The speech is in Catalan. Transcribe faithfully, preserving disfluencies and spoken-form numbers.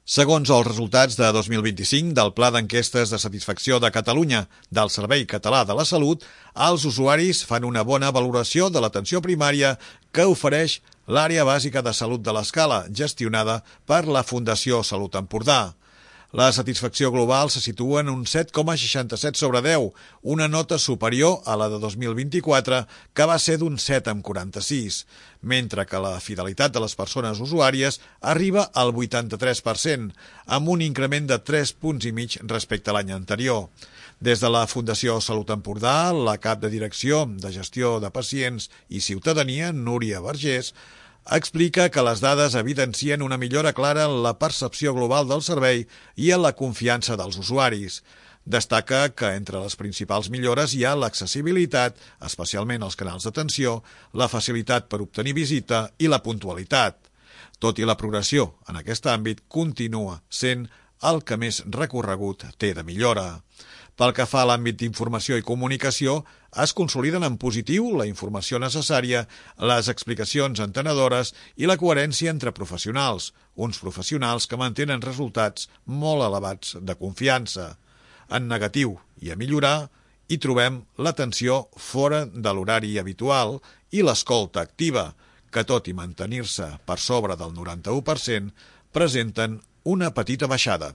Segons els resultats de dos mil vint-i-cinc del Pla d'Enquestes de Satisfacció de Catalunya del Servei Català de la Salut, els usuaris fan una bona valoració de l'atenció primària que ofereix l'Àrea Bàsica de Salut de l'Escala, gestionada per la Fundació Salut Empordà. La satisfacció global se situa en un set coma seixanta-set sobre deu, una nota superior a la de dos mil vint-i-quatre, que va ser d'un set coma quaranta-sis, mentre que la fidelitat de les persones usuàries arriba al vuitanta-tres per cent, amb un increment de tres punts i mig respecte a l'any anterior. Des de la Fundació Salut Empordà, la cap de Direcció de Gestió de Pacients i Ciutadania, Núria Vergés, explica que les dades evidencien una millora clara en la percepció global del servei i en la confiança dels usuaris. Destaca que entre les principals millores hi ha l'accessibilitat, especialment als canals d'atenció, la facilitat per obtenir visita i la puntualitat. Tot i la progressió en aquest àmbit, continua sent el que més recorregut té de millora. Pel que fa a l'àmbit d'informació i comunicació, es consoliden en positiu la informació necessària, les explicacions entenedores i la coherència entre professionals, uns professionals que mantenen resultats molt elevats de confiança. En negatiu i a millorar, hi trobem l'atenció fora de l'horari habitual i l'escolta activa, que tot i mantenir-se per sobre del noranta-u per cent, presenten una petita baixada.